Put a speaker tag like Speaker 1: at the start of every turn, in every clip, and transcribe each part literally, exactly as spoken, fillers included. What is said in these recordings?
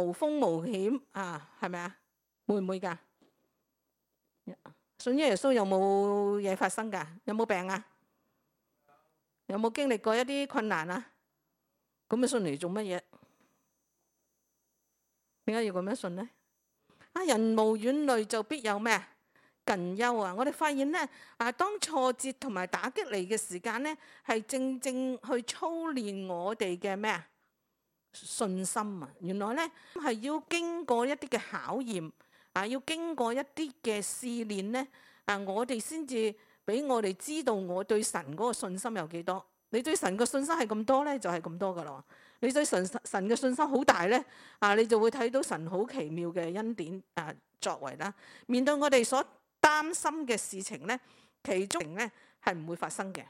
Speaker 1: 無風無險啊，係咪啊？會唔會㗎？信耶穌有冇嘢發生㗎？有冇病啊？有冇經歷過一啲困難啊？咁啊信嚟做乜嘢？點解要咁樣信呢？啊，人無遠慮就必有咩啊？近憂啊！我哋發現咧，啊，當挫折同埋打擊嚟嘅時間咧，係正正去操練我哋嘅咩啊？信心啊！原來咧係要經過一啲嘅考驗啊，要經過一啲嘅試煉咧，啊，我哋先至俾我哋知道我對神嗰個信心有幾多。你對神嘅信心係咁多咧，就係咁多噶啦。你對神神嘅信心好大咧，啊，你就會睇到神好奇妙嘅恩典啊作為啦。面對我哋所擔心嘅事情咧，其中咧係唔會發生嘅，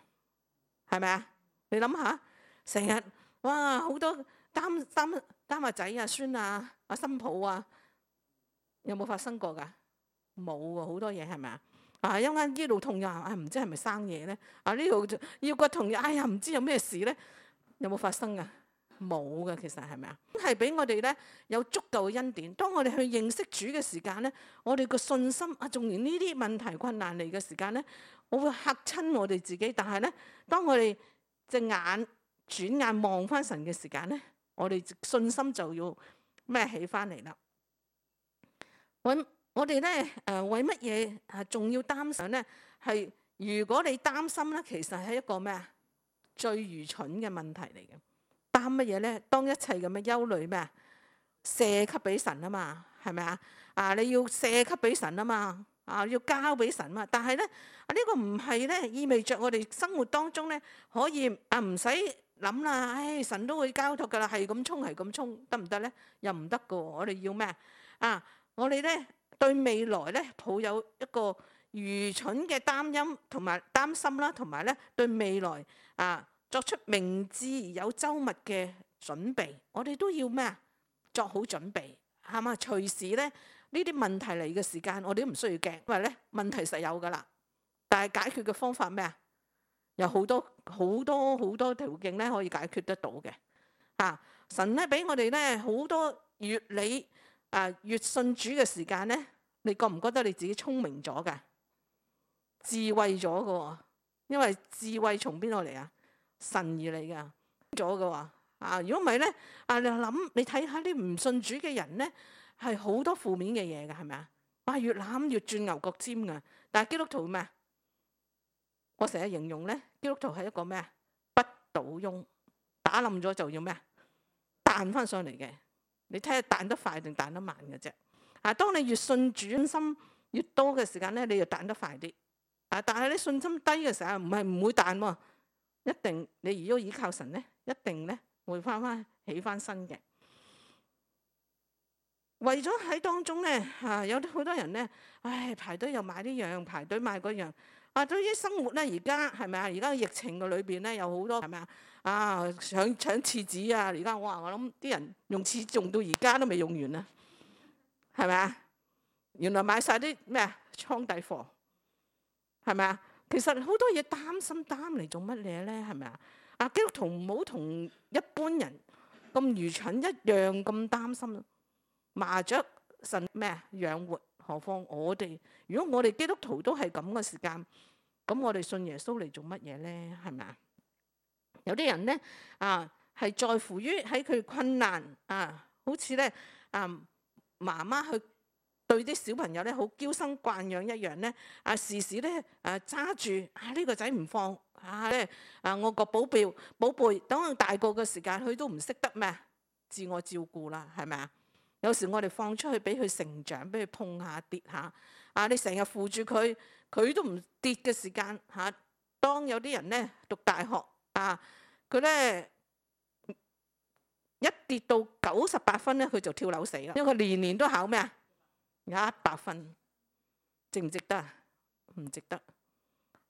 Speaker 1: 係咪啊？你諗下，成日哇好多擔擔擔阿仔啊、孫啊、阿新抱啊，有冇發生過㗎？冇喎，好多嘢係咪啊？啊，一間呢度痛又啊，唔知係咪生嘢咧？啊，呢度腰骨痛，哎呀，唔知有咩事咧？有冇發生㗎？冇嘅，其實係咪啊？係俾我哋咧有足夠嘅恩典。當我哋去認識主嘅時間咧，我哋個信心啊，縱然呢啲問題困難嚟嘅時間咧，我會嚇親我哋自己。但係咧，當我哋隻眼轉眼望翻神嘅時間咧，我哋信心就要咩起翻嚟啦。我我哋咧誒為乜嘢啊仲要擔心咧？係如果你擔心咧，其實係一個咩啊最愚蠢嘅問題嚟嘅。擔乜嘢咧？當一切咁嘅憂慮咩啊？卸給俾神啊嘛，係咪啊？啊，你要卸給俾神啊嘛，啊，要交俾神啊嘛。但係咧，啊呢個唔係咧，意味着我哋生活當中咧可以啊唔使諗啦，唉，神都會交託噶啦，係咁衝係咁衝，得唔得咧？又唔得噶。我哋要咩啊？我哋咧對未來咧抱有一個愚蠢嘅擔憂同埋擔心啦，同埋咧對未來啊。作出明智而有周密嘅準備，我哋都要咩啊？作好準備，係嘛？隨時咧呢啲問題嚟嘅時間，我哋都唔需要驚，因為咧問題實有噶啦。但係解決嘅方法咩啊？有好多好多好多途徑咧可以解決得到嘅。啊，神咧俾我哋咧好多越你啊越信主嘅時間咧，你覺唔覺得你自己聰明咗㗎？智慧咗㗎？因為智慧從邊度嚟啊？神而嚟噶咗嘅話啊，如果唔係咧啊，你諗你睇下啲唔信主嘅人咧，係好多負面嘅嘢嘅，係咪啊？哇，越諗越轉牛角尖噶。但係基督徒咩？我成日形容咧，基督徒係一個咩啊？不倒翁，打冧咗就要咩啊？彈翻上嚟嘅。你睇下彈得快定彈得慢嘅啫。啊，當你越信主心越多嘅時間咧，你就彈得快啲。啊，但係你信心低嘅時候，唔係唔會彈喎。一定你如果依靠神咧，一定咧會翻翻起翻身嘅。為咗喺當中咧，啊有啲好多人咧，唉排隊又買呢樣，排隊買嗰樣。啊，對於生活咧，而家係咪啊？而家疫情嘅裏邊咧，有好多係咪啊？啊搶搶廁紙啊！而家我話我諗啲人用廁紙用到而家都未用完啊，係咪啊？原來買晒啲咩啊？倉底貨，係咪啊？其實好多嘢擔心擔嚟做乜嘢咧？係咪啊？啊，基督徒唔好同一般人咁愚蠢一樣咁擔心。麻雀神咩啊養活，何況我哋？如果我哋基督徒都係咁嘅時間，咁我哋信耶穌嚟做乜嘢咧？係咪啊？有啲人咧啊，係在乎於喺佢困難啊，好似咧啊媽媽去對啲小朋友咧好嬌生慣養一樣咧，啊時時咧啊揸住啊呢個仔唔放啊咧啊我個寶貝寶貝，等佢大個嘅時間，佢都唔識得咩自我照顧啦，係咪啊？有時我哋放出去俾佢成長，俾佢碰下跌下啊，你成日扶住佢，佢都唔跌嘅時間嚇。當有啲人咧讀大學啊，佢咧一跌到九十八分咧，佢就跳樓死啦，因為佢年年都考咩啊？一百分，值唔值得啊？唔值得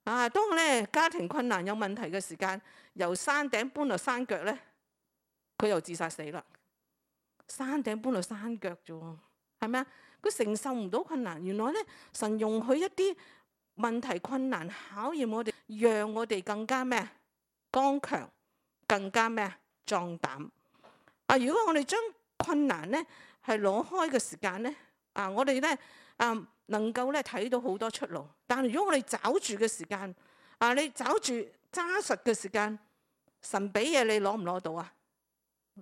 Speaker 1: 啊！當咧家庭困難有問題嘅時間，由山頂搬落山腳咧，佢又自殺死啦。山頂搬落山腳啫喎，係咪啊？佢承受唔到困難。原來咧，神容許一啲問題困難考驗我哋，讓我哋更加咩剛強，更加咩壯膽啊！如果我哋將困難咧係攞開嘅時間咧，啊，我哋咧啊能夠咧睇到好多出路。但係如果我哋找住嘅時間，啊，你找住揸實嘅時間，神俾嘢你攞唔攞到啊？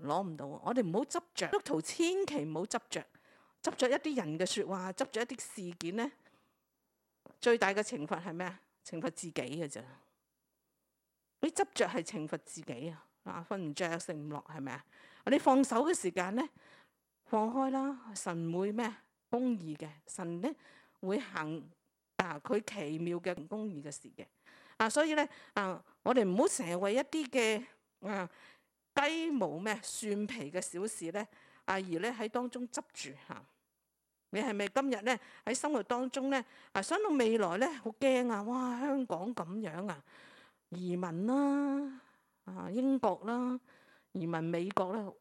Speaker 1: 攞唔到。我哋唔好執着，基督徒千祈唔好執着，執着一啲人嘅説話，執着一啲事件咧，最大嘅懲罰係咩啊？懲罰自己嘅咋。你執着係懲罰自己啊！啊，瞓唔着，食唔落，係咪啊？你放手嘅時間咧，放開啦，神會咩？公義嘅，神咧會行啊佢奇妙嘅公義嘅事嘅。啊，所以咧啊，我哋唔好成日為一啲嘅啊雞毛咩蒜皮嘅小事咧啊而咧喺當中執住嚇。你係咪今日咧喺生活當中咧啊想到未來咧好驚啊！哇，香港咁樣啊，移民啦啊英國啦，移民美國啦，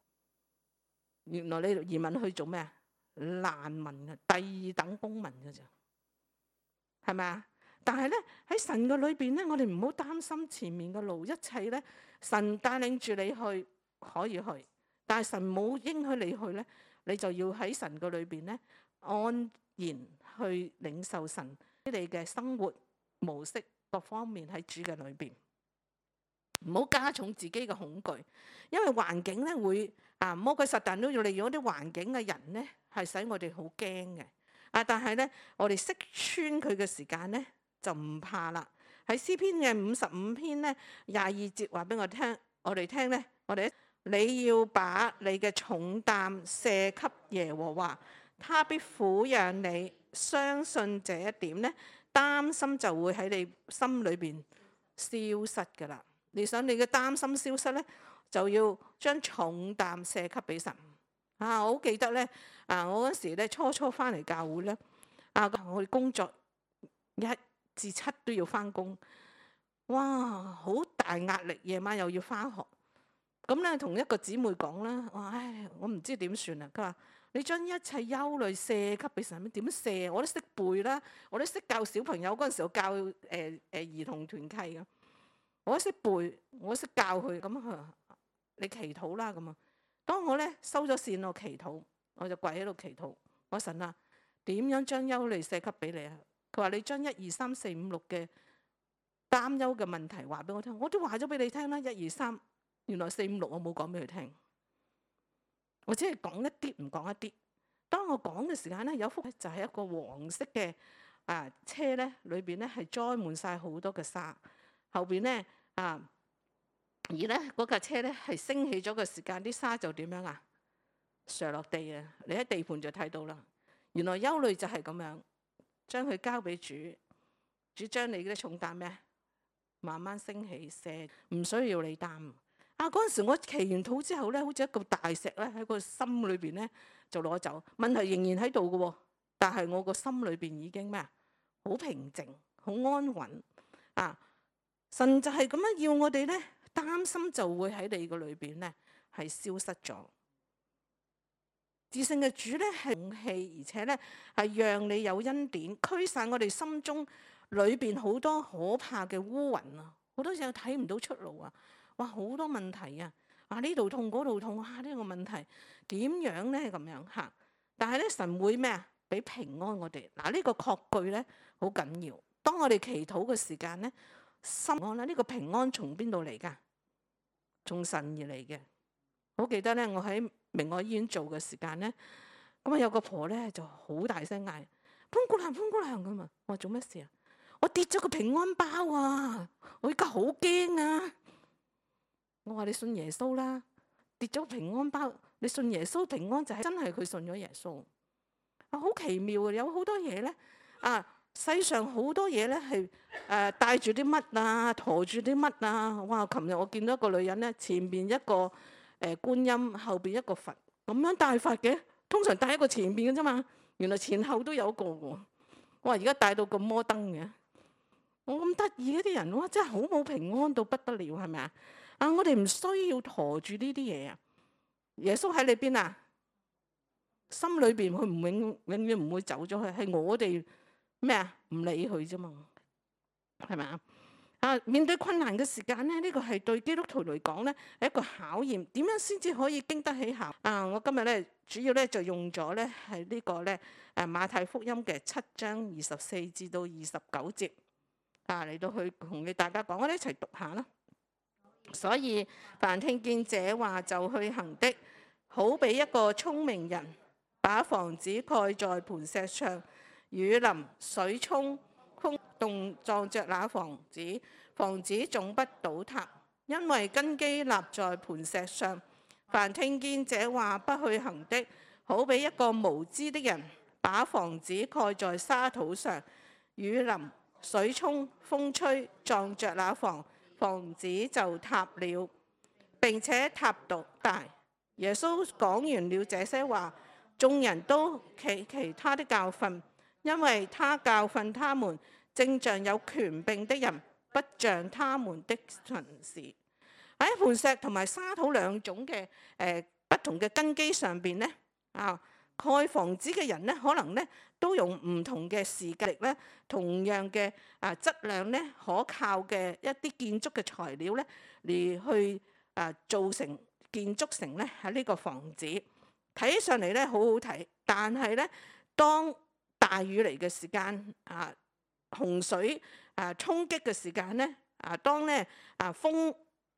Speaker 1: 原來你移民去做咩啊？難民啊，第二等公民嘅咋，係咪啊？但係咧喺神嘅裏邊咧，我哋唔好擔心前面嘅路，一切咧神帶領住你去可以去，但係神冇應許你去咧，你就要喺神嘅裏邊咧安然去領受神你嘅生活模式各方面喺主嘅裏邊，唔好加重自己嘅恐懼，因為環境咧會啊魔鬼撒旦都要利用啲環境嘅人咧係使我哋好驚嘅啊，但係咧我哋識穿佢嘅時間咧就唔怕啦。喺詩篇嘅五十五篇咧廿二節話俾我聽，我哋聽咧，我哋你要把你嘅重擔卸給耶和華，他必撫養你。相信這一點咧，擔心就會喺你心裏邊消失噶啦。你想你嘅擔心消失咧，就要將重擔卸給俾神啊！我好記得咧啊，我嗰時咧初初翻嚟教會咧啊，我哋工作一至七都要翻工，哇，好大壓力，夜晚又要翻學。咁咧同一個姊妹講啦，我唉，我唔知點算啊。佢話你將一切憂慮卸給俾神，點卸？我都識背啦，我都識教小朋友嗰陣時候教誒誒、呃呃、兒童團契嘅，我都識背，我都識教佢。咁佢話你祈禱啦咁啊。當我咧收咗線，我祈禱，我就跪喺度祈禱。我神啊，點樣將憂慮卸給俾你啊？佢話你將一二三四五六嘅擔憂嘅問題話俾我聽，我都話咗俾你聽啦。一二三，原來四五六我冇講俾佢聽，我只係講一啲唔講一啲。當我講嘅時間咧，有幅就係一個黃色嘅啊車咧，裏邊咧係載滿晒好多嘅沙，後邊咧啊而咧嗰架車咧係升起咗嘅時間，啲沙就點樣啊？瀡落地啊！你喺地盤就睇到啦。原來憂慮就係咁樣。將佢交俾主，主將你嘅重擔咩？慢慢升起，卸，唔需要你擔。啊！嗰陣時我祈完禱之後咧，好似一個大石咧喺個心裏邊咧就攞走。問題仍然喺度嘅喎，但係我個心裏邊已經咩啊？好平靜，好安穩啊！神就係咁樣要我哋咧，擔心就會喺你個裏邊咧係消失咗。至聖嘅主咧係勇氣，而且咧係讓你有恩典，驅散我哋心中裏邊好多可怕嘅烏雲啊！好多時候睇唔到出路啊！哇，好多問題啊！啊呢度痛嗰度痛啊！呢個問題點樣咧咁樣嚇？但係咧神會咩啊？俾平安我哋嗱，呢個確據咧好緊要。當我哋祈禱嘅時間咧，心安啦，呢個平安從邊度嚟㗎？從神而嚟嘅。好記得咧，我喺明愛醫院做嘅時間咧，咁啊有個婆咧就好大聲嗌：潘姑娘，潘姑娘咁啊！我話做咩事啊？我跌咗個平安包啊！我而家好驚啊！我話你信耶穌啦，跌咗個平安包，你信耶穌平安就係真係佢信咗耶穌啊！好奇妙啊！有好多嘢咧啊，世上好多嘢咧係誒帶住啲乜啊，馱住啲乜啊！哇！琴日我見到一個女人咧，前邊一個。誒觀音後邊一個佛咁樣帶法嘅，通常帶一個前邊嘅啫嘛，原來前後都有一個喎。我話而家帶到咁摩登嘅，我咁得意嗰啲人，哇！真係好冇平安到不得了，係咪啊？啊！我哋唔需要陀住呢啲嘢啊！耶穌喺你邊啊？心裏邊佢唔永永遠唔會走咗去，係我哋咩啊？唔理佢啫嘛，係咪啊？啊！面對困難嘅時間咧，呢、這個係對基督徒嚟講咧係一個考驗。點樣先至可以經得起考？啊！我今日咧主要咧就用咗咧係呢個咧誒馬太福音嘅七章二十四至到二十九節啊，嚟到去同你大家講，我哋一齊讀下啦。所以凡聽見這話就去行的，好比一個聰明人把房子蓋在磐石上，雨淋水沖，風動撞着那房子，房子總不倒塌，因為根基立在磐石上。凡聽見這話不去行的，好比一個無知的人把房子蓋在沙土上，雨淋水沖，風吹，撞着那房，房子就塌了，並且塌倒大。耶穌講完了這些話，眾人都奇奇他的教訓，因為他教訓他們，正像有權柄的人，不像他們的文士。喺磐石同埋沙土兩種嘅誒、呃、不同嘅根基上邊咧，啊蓋房子嘅人咧，可能咧都用唔同嘅時間力咧，同樣嘅啊質量咧，可靠嘅一啲建築嘅材料咧，嚟去啊造成建築成咧喺呢個房子，睇起上嚟咧好好睇，但係咧當大雨嚟嘅時間啊，洪水啊衝擊嘅時間咧，啊當咧啊風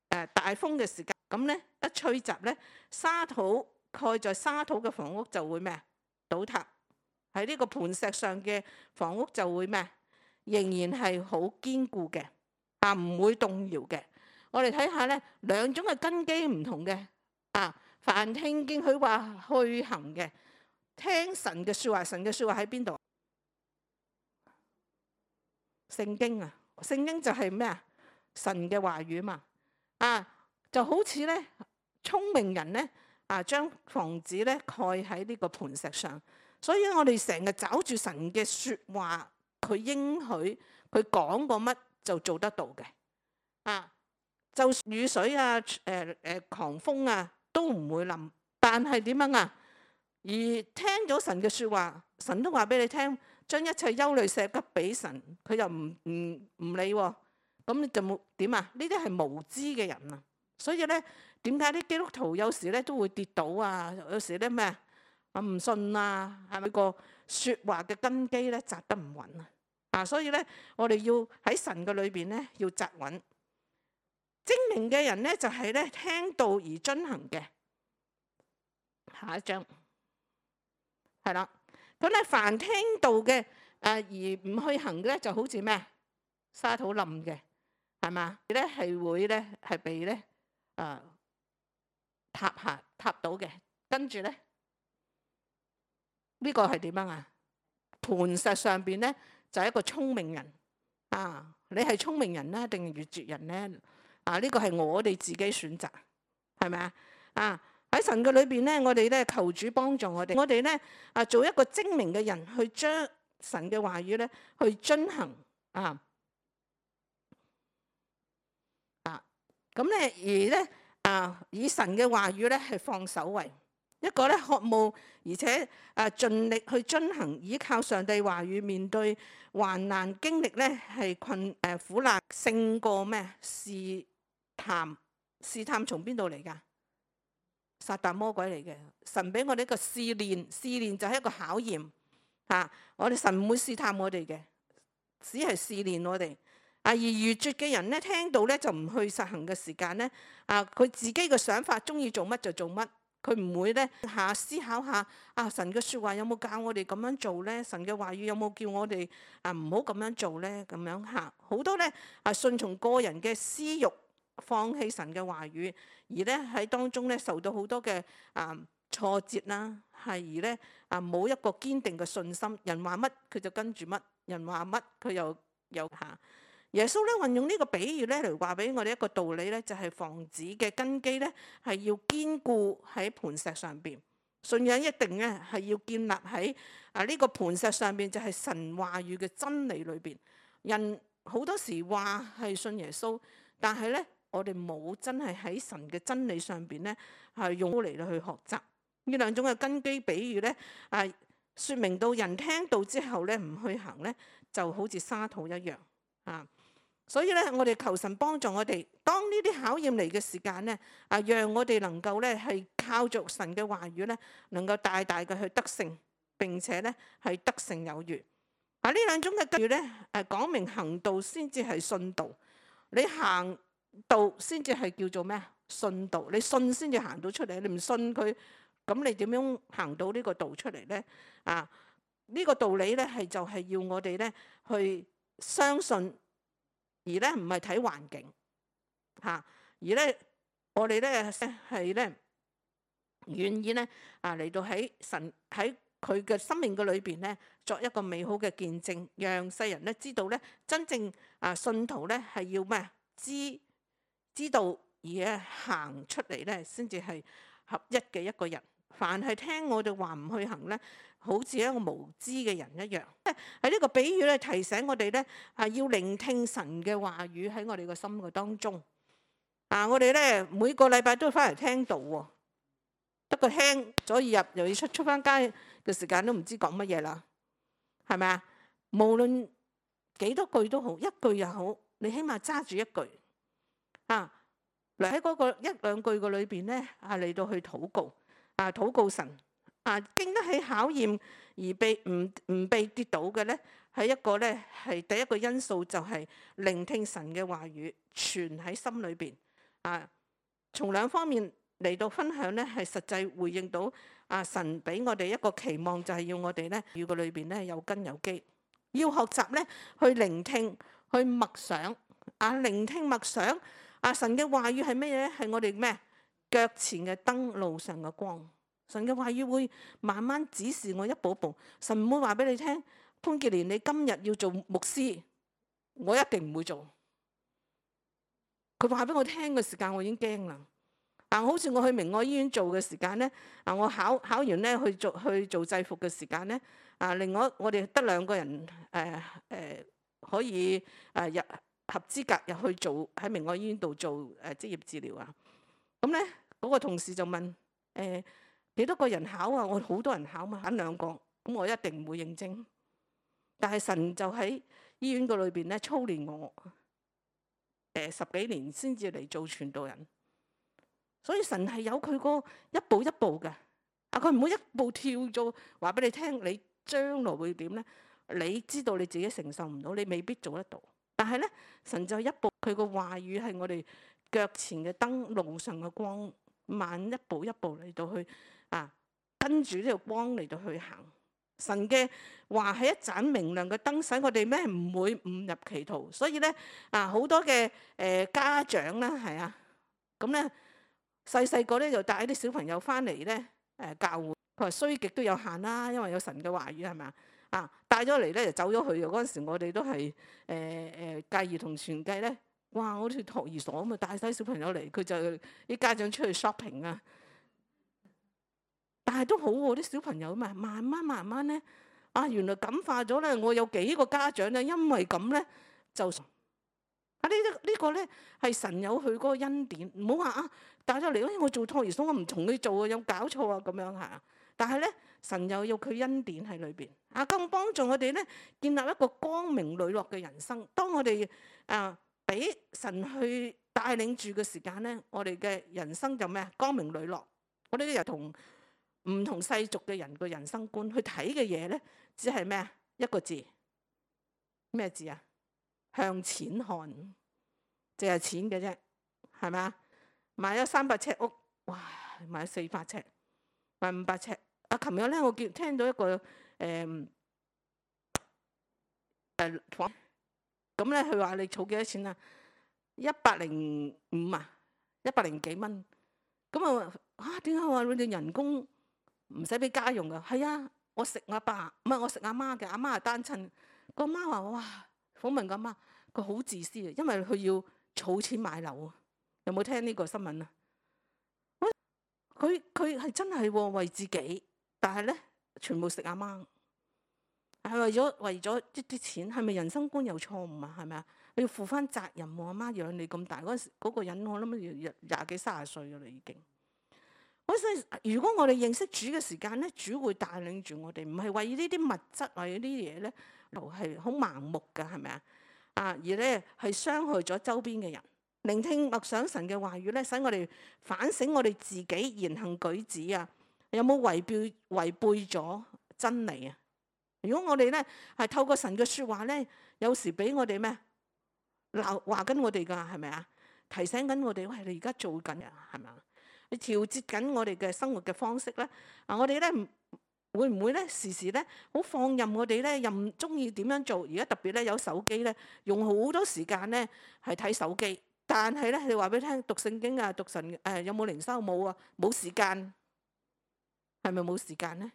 Speaker 1: 誒大風嘅時間，咁咧一吹襲咧，沙土蓋在沙土嘅房屋就會咩啊倒塌，喺呢個磐石上嘅房屋就會咩啊仍然係好堅固嘅，啊唔會動搖嘅。我哋睇下咧兩種嘅根基唔同嘅，啊凡聽見佢話去行嘅，聽神嘅説話，神嘅説話喺邊度？聖經啊，聖經就係咩啊？神嘅話語嘛。啊，就好似咧聰明人咧啊，將房子咧蓋喺呢個磐石上，所以我哋成日找住神嘅説話，佢應許佢講過乜就做得到嘅。啊，就雨水啊、誒、呃、誒、呃、狂風啊都唔會冧，但係點樣啊？而聽咗神嘅説話，神都話俾你聽，將一切憂慮卸給俾神，佢又唔唔唔理喎、啊。咁你就冇點啊？呢啲係無知嘅人啊！所以咧，點解啲基督徒有時咧都會跌倒啊？有時咧咩啊？唔信啊？係咪個説話嘅根基咧扎得唔穩啊？啊！所以咧，我哋要喺神嘅裏邊咧要扎穩。精明嘅人咧就係咧聽道而遵行嘅。下一章係啦。咁咧，凡聽道嘅誒而唔去行嘅咧，就好似咩沙土冧嘅。係嘛？咧係會咧係被咧啊塌下塌到嘅，跟住咧呢個係點樣啊？磐石上邊咧就係一個聰明人啊！你係聰明人咧，定係愚拙人咧？啊！呢個係我哋自己選擇，係咪啊？啊！喺神嘅裏邊咧，我哋咧求主幫助我哋，我哋咧啊做一個精明嘅人，去將神嘅話語咧去遵行啊！咁咧，而咧啊，以神嘅話語咧係放首位，一個咧渴慕而且啊盡力去遵行，依靠上帝話語，面對患難經歷咧係困誒苦難勝過咩試探？試探從邊度嚟㗎？撒旦魔鬼嚟嘅。神俾我哋一個試煉，試煉就係一個考驗嚇。我哋神唔會試探我哋嘅，只係試煉我哋。啊！而愚拙嘅人咧，聽到咧就唔去實行嘅時間咧，啊佢自己嘅想法，中意做乜就做乜，佢唔會咧下思考下啊神嘅説話有冇教我哋咁樣做咧？神嘅話語有冇叫我哋啊唔好咁樣做咧？咁樣嚇好多咧啊，順從個人嘅私欲，放棄神嘅話語，而咧喺當中咧受到好多嘅啊挫折啦，係而咧啊冇一個堅定嘅信心，人話乜佢就跟住乜，人話乜佢又又嚇。耶穌咧運用呢個比喻咧嚟話俾我哋一個道理咧，就係房子嘅根基咧係要堅固喺磐石上邊，信仰一定咧係要建立喺啊呢個磐石上邊，就係神話語嘅真理裏邊。人好多時話係信耶穌，但係咧我哋冇真係喺神嘅真理上邊咧係用嚟去學習。呢兩種嘅根基比喻咧啊，説明到人聽到之後咧唔去行咧，就好似沙土一樣啊。所以咧，我哋求神幫助我哋，當呢啲考驗嚟嘅時間咧，啊，讓我哋能夠咧係靠著神嘅話語咧，能夠大大嘅去得勝，並且咧係得勝有餘。啊，呢兩種嘅計咧，誒講明行道先至係信道，你行道先至係叫做咩啊？信道，你信先至行到出嚟，你唔信佢，咁你點樣行到呢個道出嚟咧？啊，呢個道理咧係就係要我哋咧去相信。而咧唔係睇環境嚇，而咧我哋咧係咧願意咧啊嚟到喺神喺佢嘅生命嘅裏邊咧作一個美好嘅見證，讓世人咧知道咧真正啊信徒咧係要咩知知道而咧行出嚟咧先至係合一嘅一個人。凡係聽我哋話唔去行咧，好似一個無知嘅人一樣。喺呢個比喻咧，提醒我哋咧係要聆聽神嘅話語喺我哋個心嘅當中。啊，我哋咧每個禮拜都翻嚟聽道喎，得個聽咗入又要出出翻街嘅時間都唔知講乜嘢啦，係咪啊？無論幾多句都好，一句又好，你起碼揸住一句啊，嚟喺嗰個一兩句嘅裏邊咧啊嚟到去禱告。啊！禱告神啊，經得起考驗而被唔唔被跌倒嘅咧，係一個咧係第一個因素，就係聆聽神嘅話語，存喺心裏邊啊。從兩方面嚟到分享咧，係實際回應到啊神俾我哋一個期望，就係要我哋咧語嘅裏邊咧有根有基，要學習咧去聆聽、去默想啊。聆聽默想啊，神嘅話語係咩嘢咧？係我哋咩？腳前嘅燈，路上嘅光。神嘅話語會慢慢指示我一步一步。神唔會話俾你聽，潘潔蓮你今日要做牧師，我一定唔會做。佢話俾我聽嘅時間，我已經驚啦。啊，好似我去明愛醫院做嘅時間咧，啊，我考考完咧去做去做制服嘅時間咧，啊，另外我哋得兩個人誒誒、呃呃、可以誒入合資格入去做喺明愛醫院度做誒職業治療啊。咁咧，嗰個同事就問：誒、欸、幾多個人考啊？我好多人考嘛，揀兩個，咁我一定唔會應徵。但係神就喺醫院個裏邊咧操練我，誒、欸、十幾年先至嚟做傳道人。所以神係有佢個一步一步嘅，啊，佢唔會一步跳咗話俾你聽，你將來會點咧？你知道你自己承受唔到，你未必做得到。但係咧，神就一步，佢個話語係我哋腳前嘅燈，路上嘅光，慢一步一步嚟到去啊，跟住呢個光嚟到去行。神嘅話係一盞明亮嘅燈，使我哋咩唔會誤入歧途。所以咧啊，好多嘅誒、呃、家長啦，係啊，咁咧細細個咧就帶啲小朋友翻嚟咧誒教會，佢話衰極都有限啦，因為有神嘅話語係咪啊？啊，帶咗嚟咧就走咗去嘅。嗰陣時我哋都係誒誒介兒童傳計咧。哇！好似托兒所咁啊，帶晒小朋友嚟，佢就啲家長出去 shopping 啊。但係都好喎，啲小朋友嘛，慢慢慢慢咧，啊，原來感化咗咧。我有幾個家長咧，因為咁咧就啊呢啲呢個咧係神有佢嗰個恩典，唔好話啊帶咗嚟，因為我做托兒所，我唔同佢做啊，有搞錯啊咁樣嚇。但係咧，神又有佢恩典喺裏邊啊，更幫助我哋咧建立一個光明磊落嘅人生。當我哋啊〜俾神去帶領住嘅時間咧，我哋嘅人生就咩啊？光明磊落。我哋又同唔同世俗嘅人嘅人生觀去睇嘅嘢咧，只係咩啊？一個字，咩字啊？向錢看，淨係錢嘅啫，係咪啊？買咗三百尺屋，哇！買咗四百尺，買五百尺。啊，琴日咧我見聽到一個誒誒。呃呃咁咧，佢話你儲幾多錢啊？一百零五啊，一百零幾蚊。咁啊，啊點解話你哋人工唔使俾家用噶？係啊，我食阿爸，唔係我食阿媽嘅，阿媽係單親。個阿媽話：哇，訪問個阿媽，佢好自私啊，因為佢要儲錢買樓啊。有冇聽呢個新聞啊？佢佢係真係為自己，但係咧全部食阿媽。係為咗為咗一啲錢，係咪人生觀有錯誤啊？係咪啊？你要負翻責任喎！阿媽養你咁大嗰時，嗰個人我諗廿廿幾三十歲噶啦已經。我想如果我哋認識主嘅時間咧，主會帶領住我哋，唔係為呢啲物質為呢啲嘢咧，係好盲目噶，係咪啊？啊，而咧係傷害咗周邊嘅人。聆聽默想神嘅話語咧，使我哋反省我哋自己言行舉止啊，有冇違背違背咗真理啊？如果我哋咧係透過神嘅説話咧，有時俾我哋咩鬧話緊我哋㗎，係咪啊？提醒緊我哋，喂，你而家做緊啊，係咪啊？你調節緊我哋嘅生活嘅方式咧，啊，我哋咧會唔會咧時時咧好放任我哋咧，任中意點樣做？而家特別咧有手機咧，用好多時間咧係睇手機。但係咧，你話俾你聽，讀聖經啊，讀神誒、呃、有冇靈修冇啊？冇時間，係咪冇時間咧？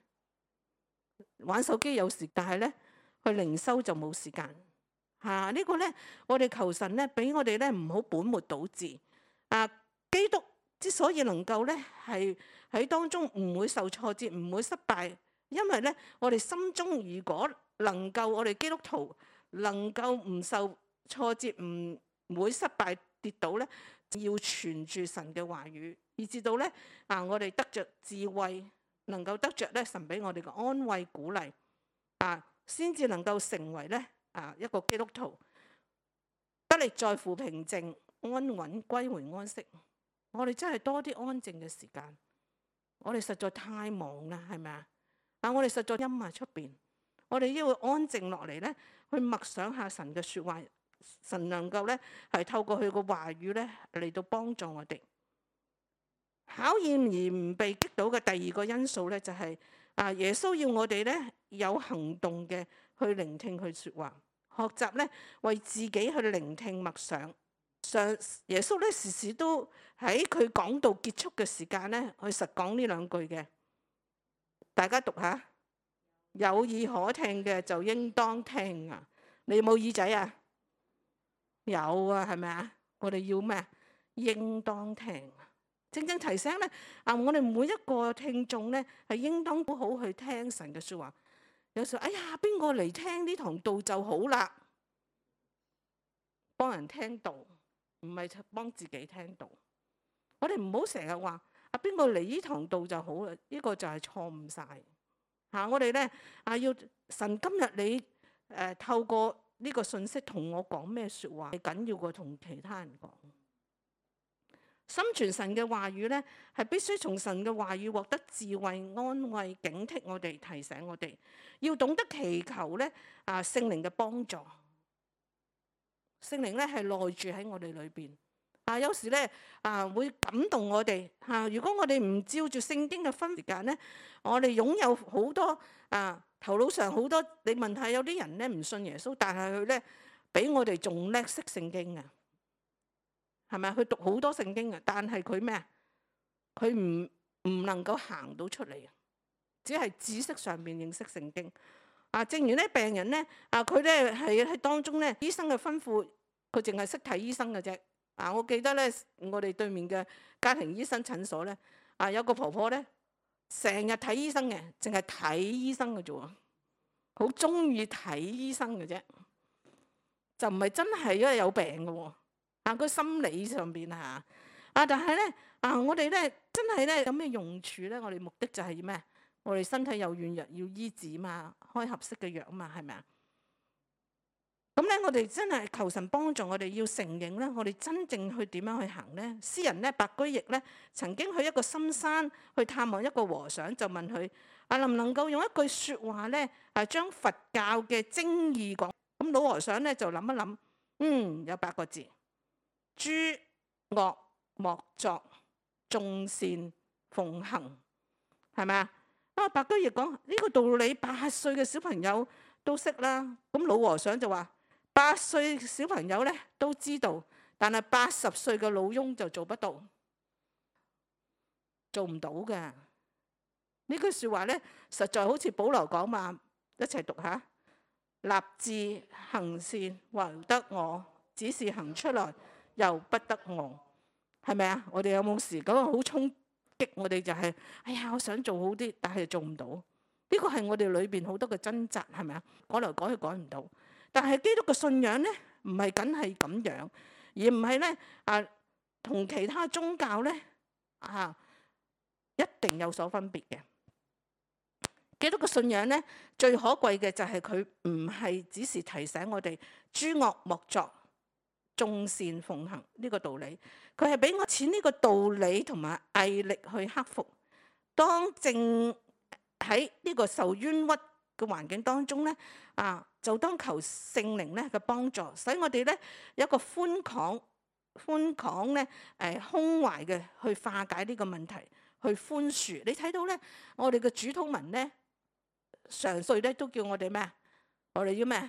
Speaker 1: 玩手機有時，但係咧去靈修就冇時間嚇。啊這個、呢個咧，我哋求神咧，俾我哋咧唔好本末倒置啊！基督之所以能夠咧係喺當中唔會受挫折，唔會失敗，因為咧我哋心中如果能夠我哋基督徒能夠唔受挫折，唔唔會失敗。跌倒咧，要存住神嘅話語，以至到咧啊，我哋得着智慧，能夠得着咧神俾我哋嘅安慰鼓勵啊，先至能夠成為咧啊一個基督徒，得力在乎平靜安穩，歸回安息。我哋真係多啲安靜嘅時間，我哋實在太忙啦，係咪啊？啊，我哋實在陰霾出邊，我哋要安靜落嚟咧，去默想下神嘅説話。神能夠咧係透過佢個話語咧嚟到幫助我哋。考驗而唔被擊倒嘅第二個因素咧就係啊，耶穌要我哋咧有行動嘅去聆聽佢説話，學習咧為自己去聆聽默想。上耶穌咧時時都喺佢講道結束嘅時間咧去實講呢兩句嘅，大家讀下。有耳可聽嘅就應當聽啊！你有冇耳仔啊？有啊，係咪啊？我哋要咩？應當聽，正正提醒咧啊！我哋每一個聽眾咧係應當好好去聽神嘅説話。有時候，哎呀，邊個嚟聽呢堂道就好啦？幫人聽道，唔係幫自己聽道。我哋唔好成日話啊，邊個嚟呢堂道就好啦？呢個就係錯誤晒嚇。我哋咧啊，要神今日你誒、呃、透過呢個信息同我講咩説話，係緊要過同其他人講。心存神嘅話語咧，係必須從神嘅話語獲得智慧、安慰、警惕我哋、提醒我哋，要懂得祈求咧啊聖靈嘅幫助。聖靈咧係內住喺我哋裏邊啊，有時咧啊會感動我哋嚇、啊。如果我哋唔照住聖經嘅分時間咧，我哋擁有好多啊。頭腦上好多，你問下有啲人咧唔信耶穌，但係佢咧比我哋仲叻識聖經啊，係咪啊？佢讀好多聖經啊，但係佢咩啊？佢唔唔能夠行到出嚟啊，只係知識上面認識聖經啊。正如咧病人咧啊，佢咧係喺當中咧，醫生嘅吩咐，佢淨係識睇醫生嘅啫啊。我記得咧，我哋對面嘅家庭醫生診所咧啊，有個婆婆咧。成日睇醫生嘅，淨係睇醫生嘅啫喎，好中意睇醫生嘅啫，就唔係真係因為有病嘅喎。啊，個心理上邊嚇啊，但係咧啊，我哋咧真係咧有咩用處咧？我哋目的就係咩？我哋身體有軟弱要醫治嘛，開合適嘅藥啊嘛，係咪啊？咁咧，我哋真係求神幫助我哋，要承認咧，我哋真正去點樣去行咧？詩人咧，白居易咧，曾經去一個深山去探望一個和尚，就問佢啊，能唔能夠用一句説話咧，啊將佛教嘅精義講？咁老和尚咧就諗一諗，嗯，有八個字：諸惡莫作，眾善奉行，係咪啊？啊，白居易講呢個道理，八歲嘅小朋友都識啦。咁老和尚就話：八歲小朋友咧都知道，但係八十歲嘅老翁就做不到，做唔到嘅。呢句説話咧，實在好似保羅講嘛，一齊讀下：立志行善，還得我；只是行出來，又不得我。係咪啊？我哋有冇時嗰個好衝擊我哋就係，哎呀，我想做好啲，但係做唔到。呢個係我哋裏邊好多嘅掙扎，係咪啊？改來改去改唔到。但係基督嘅信仰咧，唔係僅係咁樣，而唔係咧啊，同其他宗教咧啊，一定有所分別嘅。基督嘅信仰咧，最可貴嘅就係佢唔係只是提醒我哋諸惡莫作、眾善奉行呢個道理，佢係俾我錢呢個道理同埋毅力去克服。當正喺呢個受冤屈嘅環境當中咧，啊，就當求聖靈咧嘅幫助，使我哋咧有一個寬廣、寬廣咧誒胸懷嘅去化解呢個問題，去寬恕。你睇到咧，我哋嘅主禱文咧，常歲咧都叫我哋咩？我哋要咩？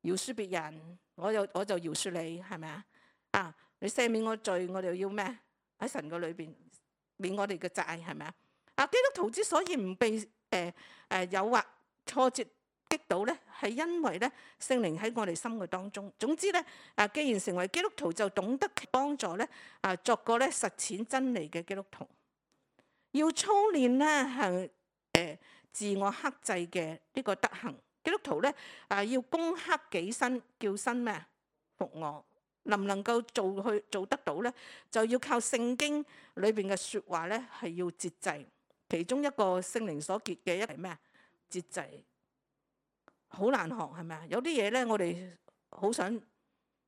Speaker 1: 饒恕別人，我又我就饒恕你，係咪啊？啊，你赦免我罪，我哋要咩？喺神嘅裏邊免我哋嘅債，係咪啊？啊，基督徒之所以唔被誒誒誘惑、挫折擊倒咧，係因為咧聖靈喺我哋心嘅當中。總之咧，啊，既然成為基督徒，就懂得幫助咧啊，作個咧實踐真理嘅基督徒。要操練咧係誒自我克制嘅呢個德行。基督徒咧啊，要攻克己身，叫身咩？服我。能唔能夠做去做得到咧？就要靠聖經裏邊嘅説話咧，係要節制。其中一個聖靈所結嘅一係咩啊？節制。好難學係咪啊？有啲嘢咧，我哋好想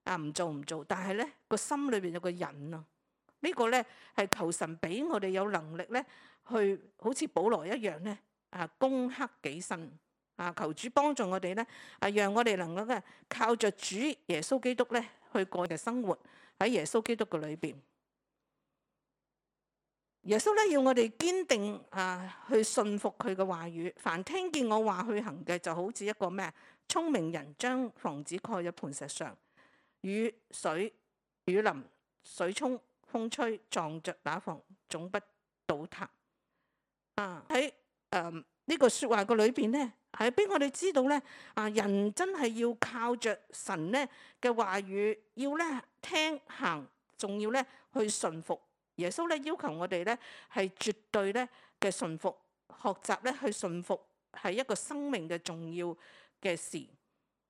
Speaker 1: 啊唔做唔做，但係咧個心裏邊有個忍啊。呢個咧係求神俾我哋有能力咧，去好似保羅一樣咧啊，攻克己身啊，求主幫助我哋咧啊，讓我哋能夠咧靠着主耶穌基督咧去過嘅生活喺耶穌基督嘅裏邊。耶穌咧要我哋堅定啊，去信服佢嘅話語。凡聽見我話去行嘅，就好似一個咩聰明人將房子蓋喺磐石上，雨水雨淋水沖風吹，撞着那房總不倒塌。啊，喺誒呢個説話嘅裏邊咧，係俾我哋知道咧啊，人真係要靠着神咧嘅話語，要咧聽行，仲要咧去信服。耶穌咧要求我哋咧係絕對咧嘅順服，學習咧去順服係一個生命嘅重要嘅事。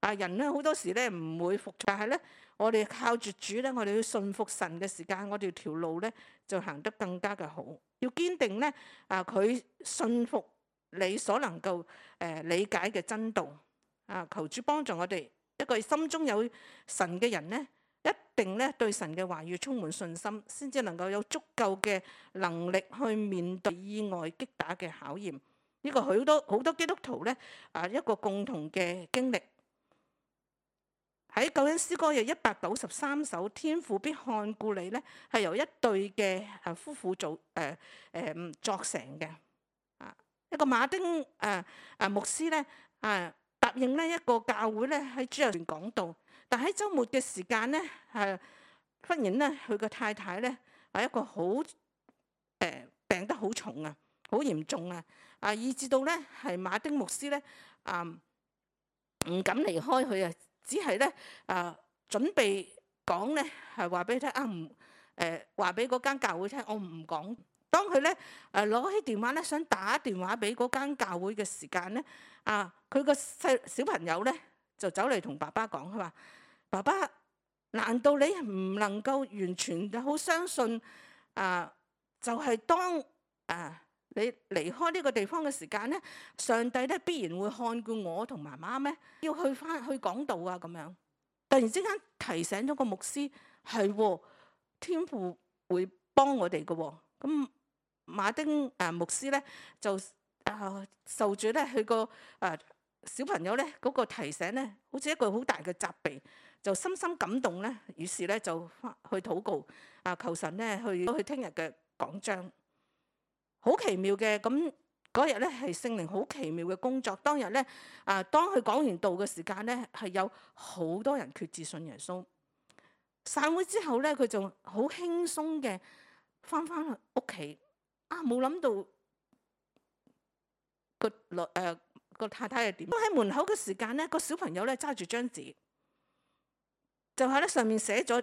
Speaker 1: 啊，人咧好多時咧唔會服，但係咧我哋靠住主咧，我哋要順服神嘅時間，我哋條路咧就行得更加嘅好。要堅定咧啊，佢順服你所能夠誒、呃、理解嘅真道。啊，求主幫助我哋一個心中有神嘅人咧，一定咧對神嘅話語充滿信心，先至能夠有足夠嘅能力去面對意外擊打嘅考驗。呢個好多好多基督徒咧啊，一個共同嘅經歷。喺救恩詩歌有一百九十三首，天父必看顧你咧，係由一對嘅啊夫婦做誒誒作成嘅。啊，一個馬丁誒誒牧師咧啊，答應呢一個教會咧喺主日段講道。但喺週末嘅時間咧，係忽然咧，佢個太太咧係一個好誒、呃、病得好重啊，好嚴重啊，啊以至到咧係馬丁牧師咧啊唔敢離開佢啊，只係咧啊準備講咧係話俾佢聽啊唔誒話俾嗰間教會聽，我唔講。當佢咧誒攞起電話咧想打電話俾嗰間教會嘅時間咧，啊佢個細小朋友咧就走嚟同爸爸講，佢話：爸爸，難道你唔能夠完全好相信啊？就係、是、當啊你離開呢個地方嘅時間咧，上帝咧必然會看顧我同媽媽咩？要去翻去講道啊咁樣。突然之間提醒咗個牧師，係天父會幫我哋嘅喎。咁馬丁啊牧師咧就啊受住咧佢個啊小朋友咧嗰個提醒咧，好似一個好大嘅責備，就深深感動咧。於是咧就翻去禱告啊，求神咧去去聽日嘅講章。好奇妙嘅，咁嗰日咧係聖靈好奇妙嘅工作。當日咧啊，當佢講完道嘅時間咧，係有好多人決志信耶穌。散會之後咧，佢就好輕鬆嘅翻返去屋企。啊，冇諗到個女誒個太太係點？喺門口嘅時間咧，個小朋友咧揸住張紙，就喺咧上面寫咗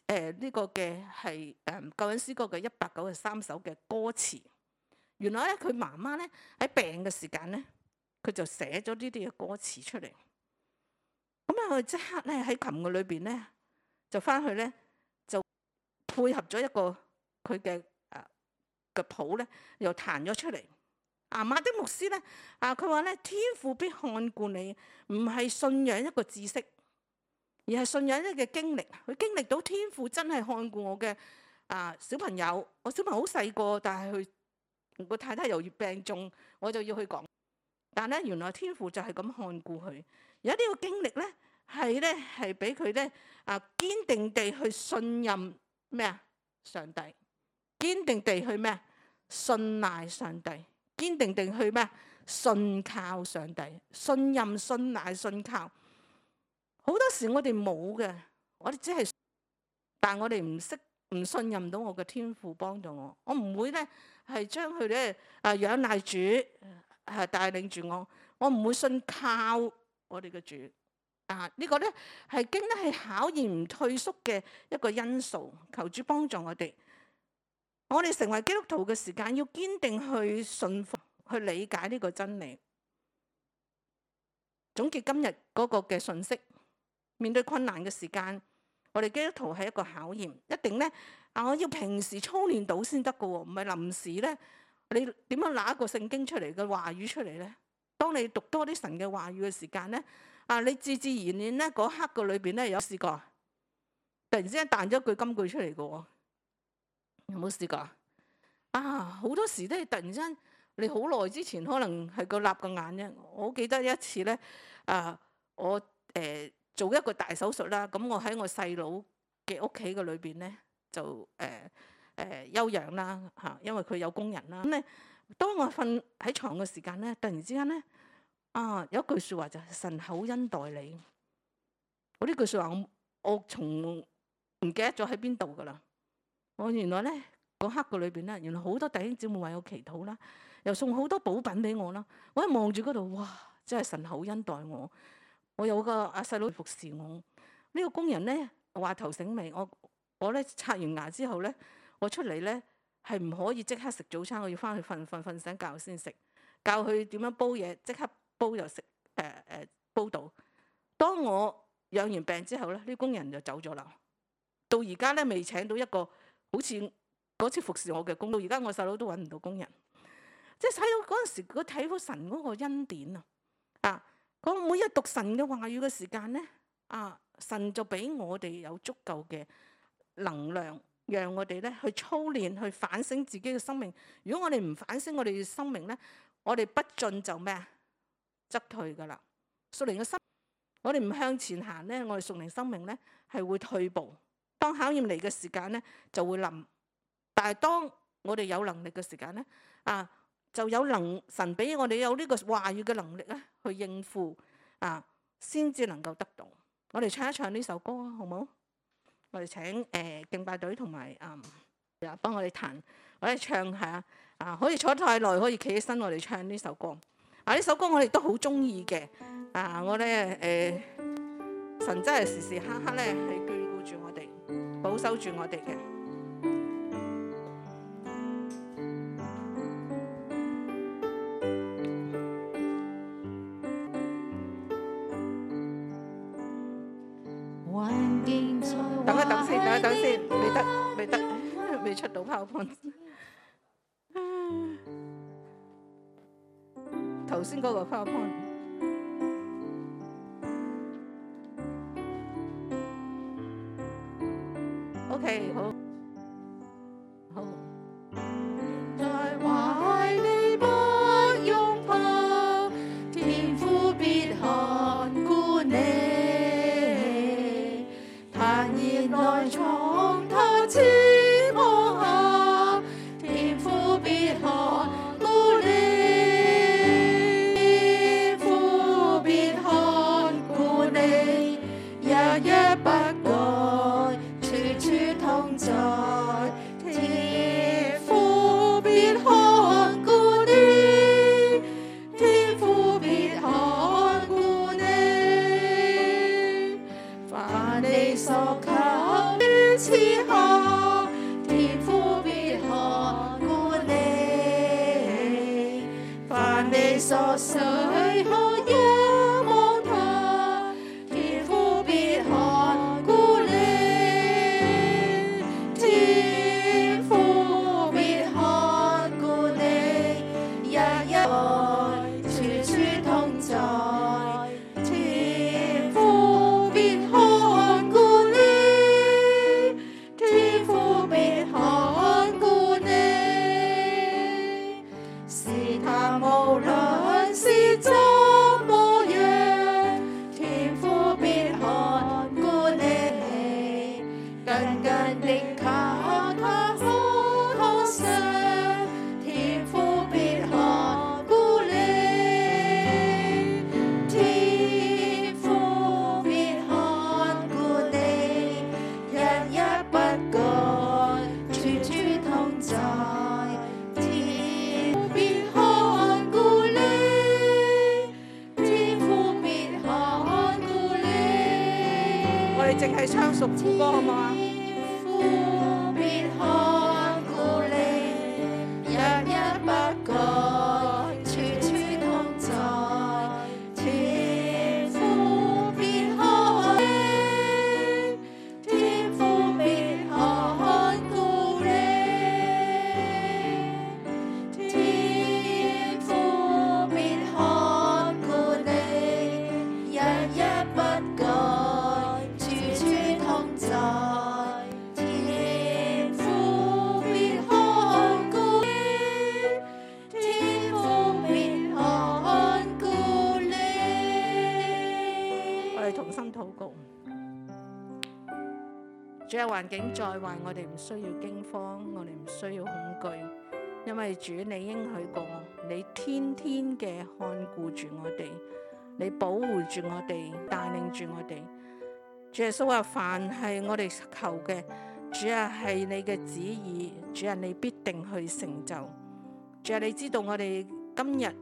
Speaker 1: 誒呢個嘅係誒救恩詩歌嘅一百九十三首嘅歌詞。原來咧佢媽媽咧喺病嘅時間咧，佢就寫咗呢啲嘅歌詞出嚟。咁啊，佢即刻咧喺琴嘅裏邊咧，就翻去咧就配合咗一個佢嘅誒嘅譜咧，又彈咗出嚟。啊，馬丁牧師咧啊，佢話咧天父必看顧你，唔係信仰一個知識，而係信仰一個經歷。佢經歷到天父真係看顧我嘅啊小朋友，我小朋友好細個，但係佢個太太又要病重，我就要去講。但係咧，原來天父就係咁看顧佢。有呢個經歷咧，係咧係俾佢咧啊堅定地去信任咩啊上帝，堅定地去咩信賴上帝，堅定地去咩信靠上帝，信任信賴信靠。好多時我哋冇嘅，我哋只係，但係我哋唔識唔信任到我嘅天父幫助我，我唔會咧係將佢咧啊仰賴主係帶領住我，我唔會信靠我哋嘅主啊！這個、呢個咧係經得係考驗唔退縮嘅一個因素。求主幫助我哋，我哋成為基督徒嘅時間要堅定去信服、去理解呢個真理。總結今日嗰個嘅信息，面對困難嘅時間，我哋基督徒係一個考驗，一定咧啊！我要平時操練到先得㗎喎，唔係臨時咧。你點樣拿一個聖經出嚟嘅話語出嚟咧？當你讀多啲神嘅話語嘅時間咧，啊，你自自然然咧嗰刻嘅裏邊咧有試過，突然之間彈咗句金句出嚟嘅喎，有冇試過啊？好多時都係突然之間，你好耐之前可能係個立個眼啫。我好記得一次咧，啊，我誒、呃、做一個大手術啦，咁我喺我細佬嘅屋企嘅裏邊咧就誒。呃誒、呃、休養啦嚇，因為佢有工人啦。咁咧，當我瞓喺床嘅時間咧，突然之間咧，啊有一句説話就係神厚恩待你。我呢句説話我我從唔記得咗喺邊度噶啦。我原來咧嗰刻嘅裏邊咧，原來好多弟兄姊妹為我祈禱啦，又送好多補品俾我啦。我一望住嗰度，哇！真係神厚恩待我。我有個阿細佬服侍我。呢、這個工人咧話頭醒尾，我我咧刷完牙之後咧。我出嚟咧係唔可以即刻食早餐，我要翻去瞓瞓瞓醒覺先食。教佢點樣煲嘢，即刻煲就食誒誒煲到。當我養完病之後咧，啲工人就走咗啦。到而家咧未請到一個好似嗰次服侍我嘅工，到而家我細佬都揾唔到工人。即係睇到嗰陣時，佢睇到神嗰個恩典啊！啊，我每日讀神嘅話語嘅時間咧，啊，神就俾我哋有足夠嘅能量。讓我哋咧去操練，去反省自己嘅生命。如果我哋唔反省我哋嘅生命咧，我哋不進就咩啊？則退噶啦。屬靈嘅生，我哋唔向前行咧，我哋屬靈生命咧係會退步。當考驗嚟嘅時間咧，就會冧。但係當我哋有能力嘅時間咧，啊，就有能神俾我哋有呢個話語嘅能力咧，去應付啊，先至能夠得到。我哋唱一唱呢首歌啊，好唔好？我哋請誒、呃、敬拜隊同埋誒幫我哋彈，我哋唱下啊！可以坐太耐，可以企起身，我哋唱呢首歌。啊，呢首歌我哋都好中意嘅。啊，我咧誒神真係時時刻刻咧係眷顧住我哋，保守住我哋嘅。等一等先，等一等先，未得，未得，未出到PowerPoint。頭先嗰個 PowerPoint。OK， 好，好。在懷裡不擁抱，天父必看顧你。來從他翅膀下，天父必看顧你，天父必看顧你，日日不改，處處同在，天父必看顧你，天父必看顧你，凡你所求賜下，天父必看顧你，凡你所需可仰望他，天父必看顧你，天父必看顧你，日日淨係唱屬副歌好唔好啊？主啊，環境再壞，我哋唔需要驚慌，我哋唔需要恐懼，因為主你應許過，你天天嘅看顧住我哋，你保護住我哋，帶領住我哋。主耶穌話：凡係我哋求嘅，主啊係你嘅旨意，主啊你必定去成就。主啊，你知道我哋今日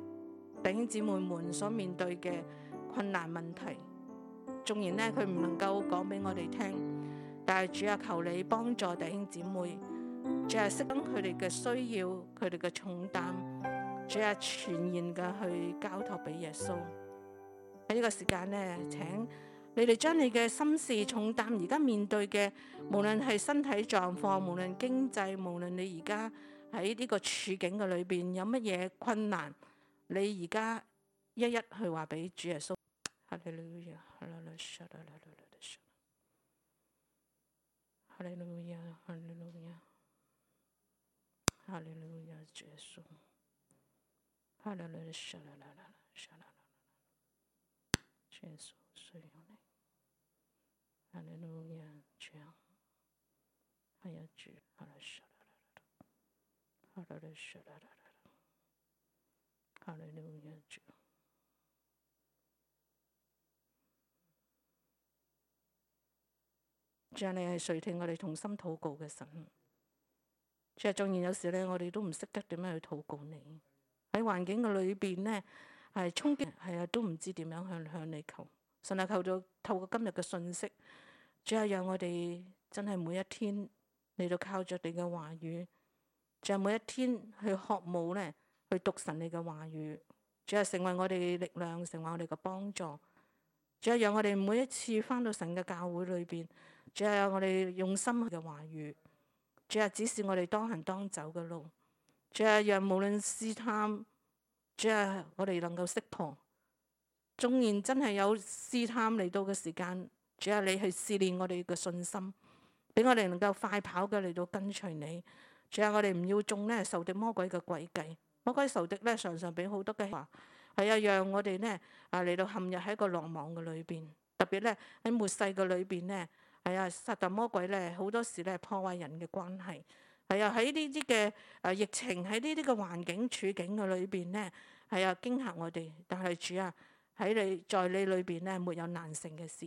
Speaker 1: 弟兄姊妹們所面對嘅困難問題，縱然呢，佢唔能夠講俾我哋聽。但係主啊，求你幫助弟兄姊妹，主啊，識得佢哋嘅需要，佢哋嘅重擔，主啊，全然嘅去交託俾耶穌。喺呢個時間呢，請你哋將你嘅心事重擔，而家面對嘅，無論係身體狀況，無論經濟，無論你而家喺呢個處境嘅裏邊有乜嘢困難，你而家一一去話俾主耶穌。哈利路亞，哈利路亞，哈利路亞，哈利路亞，哈利路亞，主耶穌，哈利路亞，沙啦啦啦，沙啦啦啦，主耶穌需要你，哈利路亞，主啊，係啊主，哈利沙啦啦啦，哈利路亞，沙啦啦啦，哈利路亞，主。主啊，你係垂聽我哋同心禱告嘅神。主啊，縱然有時咧，我哋都唔識得點樣去禱告你。喺環境嘅裏邊呢，係衝擊，係啊，都唔知點樣向向你求。神啊，求到透過今日嘅信息，主啊，讓我哋真係每一天嚟到靠着你嘅話語，主啊，每一天去渴慕呢，去讀神你嘅話語，主啊，成為我哋嘅力量，成為我哋嘅幫助。主啊，讓我哋每一次翻到神嘅教會裏邊。主啊，我哋用心嘅話語，主啊，指示我哋當行當走嘅路。主啊，讓無論試探，主啊，我哋能夠識破。縱然真係有試探嚟到嘅時間，主啊，你去試煉我哋嘅信心，俾我哋能夠快跑嘅嚟到跟隨你。主啊，我哋唔要中呢仇敵魔鬼嘅詭計。魔鬼仇敵呢，常常俾好多嘅話，係啊，讓我哋呢啊嚟到陷入喺一個羅網嘅裏邊。特別呢，喺末世嘅裏邊呢。係啊，撒旦魔鬼咧，好多時咧破壞人嘅關係。係啊，喺呢啲嘅誒疫情，喺呢啲嘅環境處境嘅裏邊呢，係啊驚嚇我哋。但係主啊，喺你在你裏邊呢，沒有難成嘅事。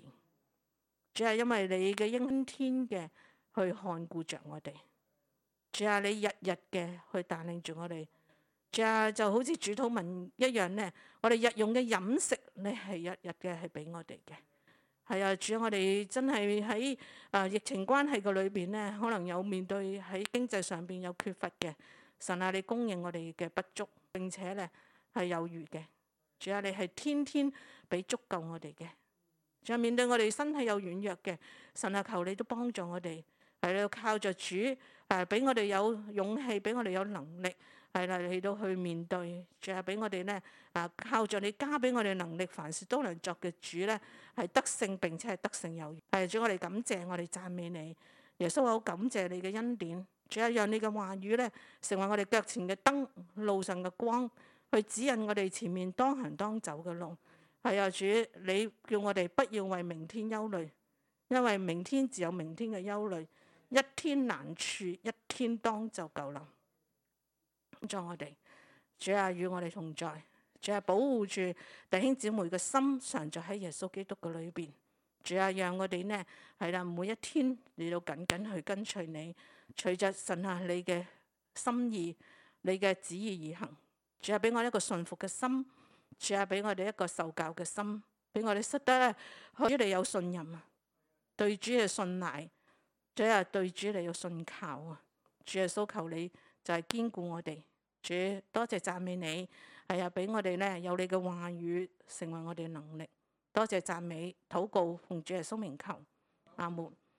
Speaker 1: 主啊，因為你嘅應天嘅去看顧着我哋。主啊，你日日嘅去帶領住我哋。主啊，就好似主禱文一樣呢，我哋日用嘅飲食，你係日日嘅係俾我哋嘅。係啊，主啊，我哋真係喺啊疫情關係嘅裏邊呢，可能有面對喺經濟上邊有缺乏嘅。神啊，你供應我哋嘅不足，並且呢係有餘嘅。主啊，你係天天俾足夠我哋嘅。主啊，面對我哋身體有軟弱嘅，神啊，求你都幫助我哋，係要靠着主誒，俾我哋有勇氣，俾我哋有能力。係啦，嚟到去面對，仲係俾我哋呢，啊，靠著你加俾我哋能力，凡事都能作嘅主呢，係得勝並且係得勝有餘。係主，我哋感謝，我哋讚美你，耶穌，我好感謝你嘅恩典，仲係讓你嘅話語呢，成為我哋腳前嘅燈，路上嘅光，去指引我哋前面當行當走嘅路。係啊，主，你叫我哋不要為明天憂慮，因為明天自有明天嘅憂慮，一天難處一天當就夠啦。幫助我哋，主啊，與我哋同在，主啊，保護住弟兄姊妹嘅心，常在喺耶穌基督嘅裏邊。主啊，讓我哋呢係啦，每一天嚟到緊緊去跟隨你，隨着神啊你嘅心意、你嘅旨意而行。主啊，俾我一個順服嘅心，主啊，俾我哋一個受教嘅心，俾我哋識得咧對你有信任啊。對主嘅信賴，主啊，對主你要信靠啊！主耶穌，求你就係堅固我哋。主，多謝讚美你，係啊，俾我哋咧有你嘅話語成為我哋嘅能力。多謝讚美禱告，奉主耶穌名求，阿門。